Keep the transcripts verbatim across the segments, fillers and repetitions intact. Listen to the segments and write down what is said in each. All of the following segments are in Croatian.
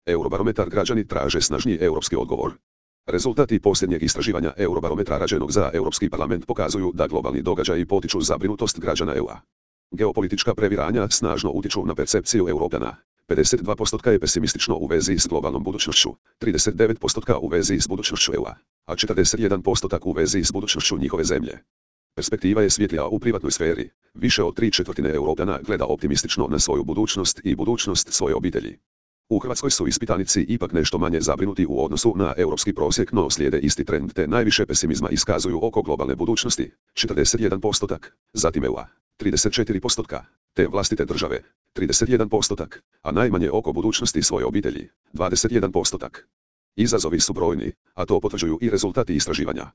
Eurobarometar građani traže snažniji europski odgovor. Rezultati posljednjeg istraživanja Eurobarometra rađenog za Europski parlament pokazuju da globalni događaji potiču zabrinutost građana E U-a. Geopolitička previranja snažno utječu na percepciju Europljana. pedeset dva posto je pesimistično u vezi s globalnom budućnošću, trideset devet posto u vezi s budućnošću E U-a, a četrdeset jedan posto u vezi s budućnošću njihove zemlje. Perspektiva je svjetlija u privatnoj sferi. Više od tri četvrtine Europljana gleda optimistično na svoju budućnost i budućnost svoje obitelji. U Hrvatskoj su ispitanici ipak nešto manje zabrinuti u odnosu na europski prosjek, no slijede isti trend te najviše pesimizma iskazuju oko globalne budućnosti, četrdeset jedan posto, zatim E U-a, trideset četiri posto, te vlastite države, trideset jedan posto, a najmanje oko budućnosti svoje obitelji, dvadeset jedan posto. Izazovi su brojni, a to potvrđuju i rezultati istraživanja.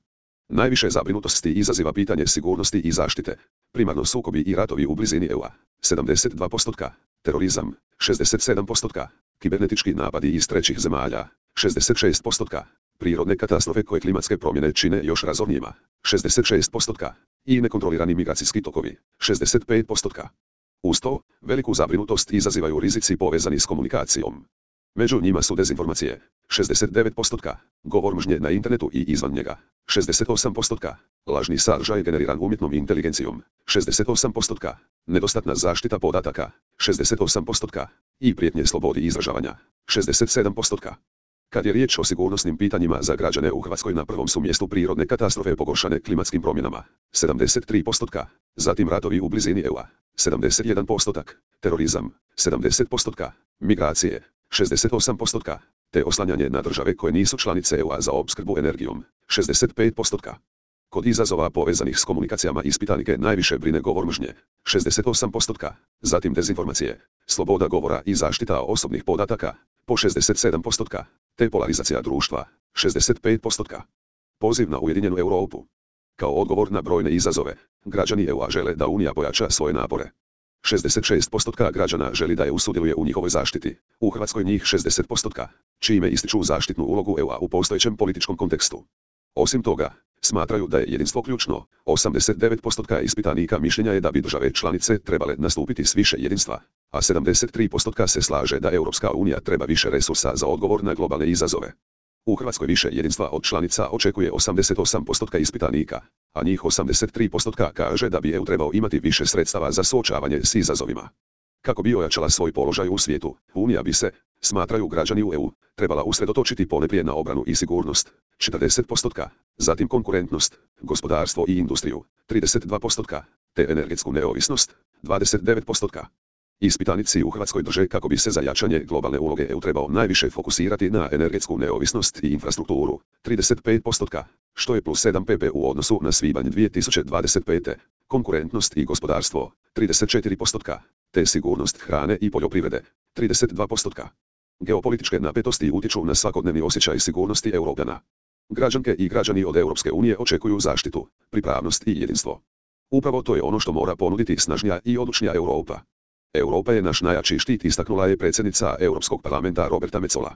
Najviše zabrinutosti izaziva pitanje sigurnosti i zaštite, primarno sukobi i ratovi u blizini E U-a, sedamdeset dva posto, terorizam, šezdeset sedam posto, kibernetički napadi iz trećih zemalja, šezdeset šest posto, prirodne katastrofe koje klimatske promjene čine još razornijima, šezdeset šest posto, i nekontrolirani migracijski tokovi, šezdeset pet posto. Uz to, veliku zabrinutost izazivaju rizici povezani s komunikacijom. Među njima su dezinformacije, šezdeset devet posto, govor mržnje na internetu i izvan njega, šezdeset osam posto, lažni sadržaj generiran umjetnom inteligencijom, šezdeset osam posto, nedostatna zaštita podataka, šezdeset osam posto, i prijetnje slobodi izražavanja, šezdeset sedam posto. Kad je riječ o sigurnosnim pitanjima za građane u Hrvatskoj, na prvom su mjestu prirodne katastrofe pogoršane klimatskim promjenama, sedamdeset tri posto, zatim ratovi u blizini E U-a, sedamdeset jedan posto, terorizam, sedamdeset posto, migracije, šezdeset osam posto, te oslanjanje na države koje nisu članice E U-a za opskrbu energijom, šezdeset pet posto. Kod izazova povezanih s komunikacijama ispitanike najviše brine govor mržnje, šezdeset osam posto, zatim dezinformacije, sloboda govora i zaštita osobnih podataka, po šezdeset sedam posto, te polarizacija društva, šezdeset pet posto. Poziv na ujedinjenu Europu. Kao odgovor na brojne izazove, građani E U-a žele da Unija pojača svoje napore. šezdeset šest posto građana želi da E U sudjeluje u njihovoj zaštiti, u Hrvatskoj njih šezdeset posto, čime ističu zaštitnu ulogu E U-a u postojećem političkom kontekstu. Osim toga, smatraju da je jedinstvo ključno, osamdeset devet posto ispitanika mišljenja je da bi države članice trebale nastupiti s više jedinstva, a sedamdeset tri posto se slaže da Europska unija treba više resursa za odgovor na globalne izazove. U Hrvatskoj više jedinstva od članica očekuje osamdeset osam posto ispitanika, a njih osamdeset tri posto kaže da bi E U trebao imati više sredstava za suočavanje s izazovima. Kako bi ojačala svoj položaj u svijetu, Unija bi se, smatraju građani u E U, trebala usredotočiti ponajprije na obranu i sigurnost, četrdeset posto, zatim konkurentnost, gospodarstvo i industriju, trideset dva posto, te energetsku neovisnost, dvadeset devet posto. Ispitanici u Hrvatskoj drže kako bi se za jačanje globalne uloge E U trebao najviše fokusirati na energetsku neovisnost i infrastrukturu, trideset pet posto, što je plus sedam posto u odnosu na svibanj dvije tisuće dvadeset pete, konkurentnost i gospodarstvo, trideset četiri posto, te sigurnost hrane i poljoprivrede, trideset dva posto. Geopolitičke napetosti utječu na svakodnevni osjećaj sigurnosti Europljana. Građanke i građani od Europske unije očekuju zaštitu, pripravnost i jedinstvo. Upravo to je ono što mora ponuditi snažnija i odlučnija Europa. Europa je naš najjači štit, istaknula je predsjednica Europskog parlamenta Roberta Metsola.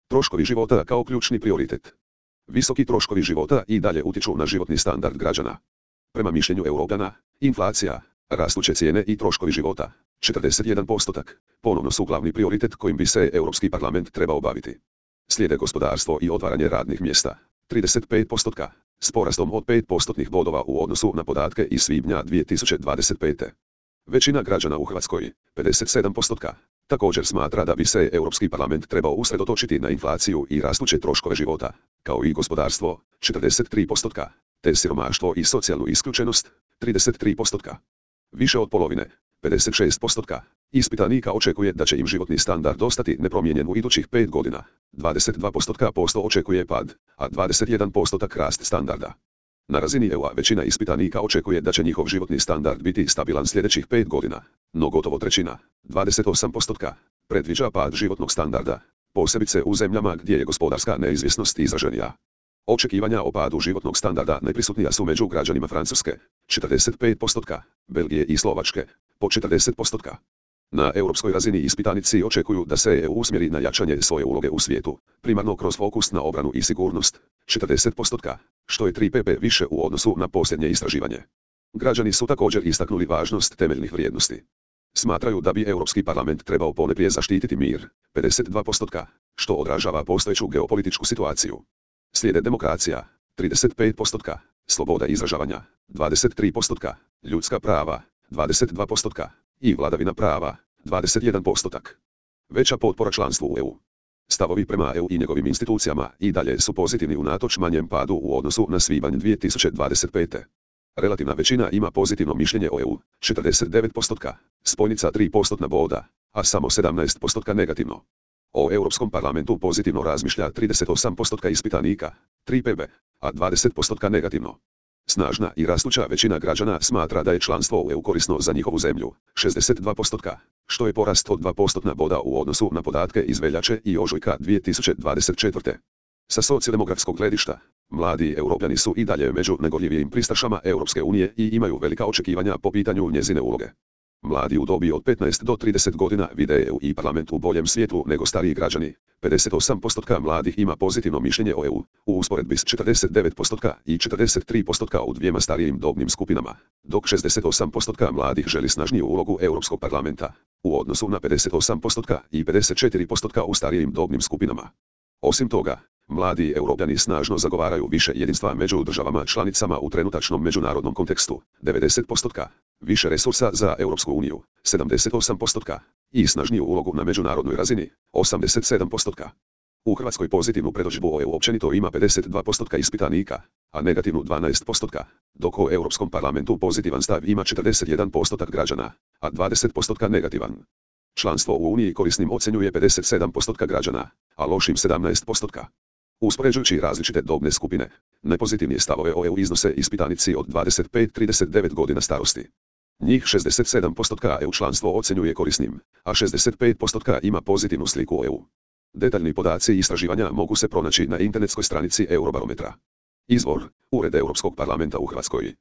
Troškovi života kao ključni prioritet. Visoki troškovi života i dalje utječu na životni standard građana. Prema mišljenju Europljana, inflacija, rastuće cijene i troškovi života, četrdeset jedan posto, ponovno su glavni prioritet kojim bi se Europski parlament trebao baviti. Slijede gospodarstvo i otvaranje radnih mjesta, trideset pet posto, s porastom od pet postotnih bodova u odnosu na podatke iz svibnja dvije tisuće dvadeset pete. Većina građana u Hrvatskoj, pedeset sedam posto, također smatra da bi se Europski parlament trebao usredotočiti na inflaciju i rastuće troškove života, kao i gospodarstvo, četrdeset tri posto, te siromaštvo i socijalnu isključenost, trideset tri posto. Više od polovine, pedeset šest posto, ispitanika očekuje da će im životni standard ostati nepromijenjen u idućih pet godina, dvadeset dva posto očekuje pad, a dvadeset jedan posto rast standarda. Na razini E U-a većina ispitanika očekuje da će njihov životni standard biti stabilan sljedećih pet godina, no gotovo trećina, dvadeset osam posto, predviđa pad životnog standarda, posebice u zemljama gdje je gospodarska neizvjesnost izraženija. Očekivanja o padu životnog standarda najprisutnija su među građanima Francuske, četrdeset pet posto, Belgije i Slovačke, po četrdeset posto. Na europskoj razini ispitanici očekuju da se E U usmjeri na jačanje svoje uloge u svijetu, primarno kroz fokus na obranu i sigurnost, četrdeset posto, što je tri posto više u odnosu na posljednje istraživanje. Građani su također istaknuli važnost temeljnih vrijednosti. Smatraju da bi Europski parlament trebao ponajprije zaštititi mir, pedeset dva posto, što odražava postojeću geopolitičku situaciju. Slijede demokracija, trideset pet posto, sloboda izražavanja, dvadeset tri posto, ljudska prava, dvadeset dva posto i vladavina prava, dvadeset jedan posto. Veća potpora članstvu u E U. Stavovi prema E U i njegovim institucijama i dalje su pozitivni unatoč manjem padu u odnosu na svibanj dvije tisuće dvadeset pete. Relativna većina ima pozitivno mišljenje o E U, četrdeset devet posto, spojnica tri postotna boda, a samo sedamnaest posto negativno. O Europskom parlamentu pozitivno razmišlja trideset osam posto ispitanika, tri P B, a dvadeset posto negativno. Snažna i rastuća većina građana smatra da je članstvo u E U korisno za njihovu zemlju, šezdeset dva posto, što je porast od dva postotna boda u odnosu na podatke iz veljače i ožujka dvije tisuće dvadeset četvrte. Sa socijaldemokratskog gledišta, mladi Europljani su i dalje među negorljivijim pristašama Europske unije i imaju velika očekivanja po pitanju njezine uloge. Mladi u dobi od petnaest do trideset godina vide E U i parlament u boljem svijetlu nego stariji građani. pedeset osam posto mladih ima pozitivno mišljenje o E U, u usporedbi s četrdeset devet posto i četrdeset tri posto u dvijema starijim dobnim skupinama, dok šezdeset osam posto mladih želi snažniju ulogu Europskog parlamenta, u odnosu na pedeset osam posto i pedeset četiri posto u starijim dobnim skupinama. Osim toga, mladi Europljani snažno zagovaraju više jedinstva među državama članicama u trenutačnom međunarodnom kontekstu, devedeset posto, više resursa za Europsku uniju, sedamdeset osam posto, i snažniju ulogu na međunarodnoj razini, osamdeset sedam posto. U Hrvatskoj pozitivnu predodžbu o E U općenito ima pedeset dva posto ispitanika, a negativnu dvanaest posto, dok o Europskom parlamentu pozitivan stav ima četrdeset jedan posto građana, a dvadeset posto negativan. Članstvo u Uniji korisnim ocjenjuje pedeset sedam posto građana, a lošim sedamnaest posto. Uspoređujući različite dobne skupine, nepozitivnije stavove o E U iznose ispitanici od dvadeset pet do trideset devet godina starosti. Njih šezdeset sedam posto E U članstvo ocjenjuje korisnim, a šezdeset pet posto ima pozitivnu sliku o E U. Detaljni podaci i istraživanja mogu se pronaći na internetskoj stranici Eurobarometra. Izvor: Ured Europskog parlamenta u Hrvatskoj.